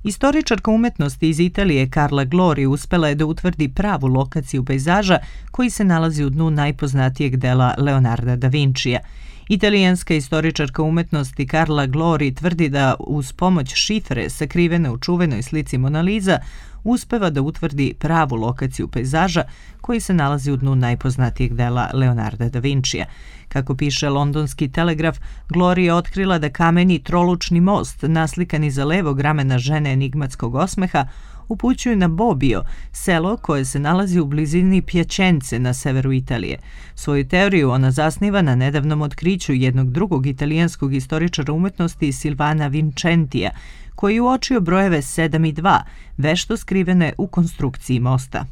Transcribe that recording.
Istoričarka umetnosti iz Italije Carla Glori uspela je da utvrdi pravu lokaciju pejzaža koji se nalazi u dnu najpoznatijeg dela Leonarda da Vincija. Italijanska istoričarka umetnosti Carla Glori tvrdi da uz pomoć šifre sakrivene u čuvenoj slici Mona Lisa uspeva da utvrdi pravu lokaciju pejzaža koji se nalazi u dnu najpoznatijeg dela Leonarda da Vincija. Kako piše londonski Telegraf, Glori je otkrila da kameni trolučni most, naslikan iza levog ramena žene enigmatskog osmeha, upućuju na Bobbio, selo koje se nalazi u blizini Piacence na severu Italije. Svoju teoriju ona zasniva na nedavnom otkriću jednog drugog italijanskog istoričara umetnosti Silvana Vincentija, koji je uočio brojeve 7 i 2, vešto skrivene u konstrukciji mosta.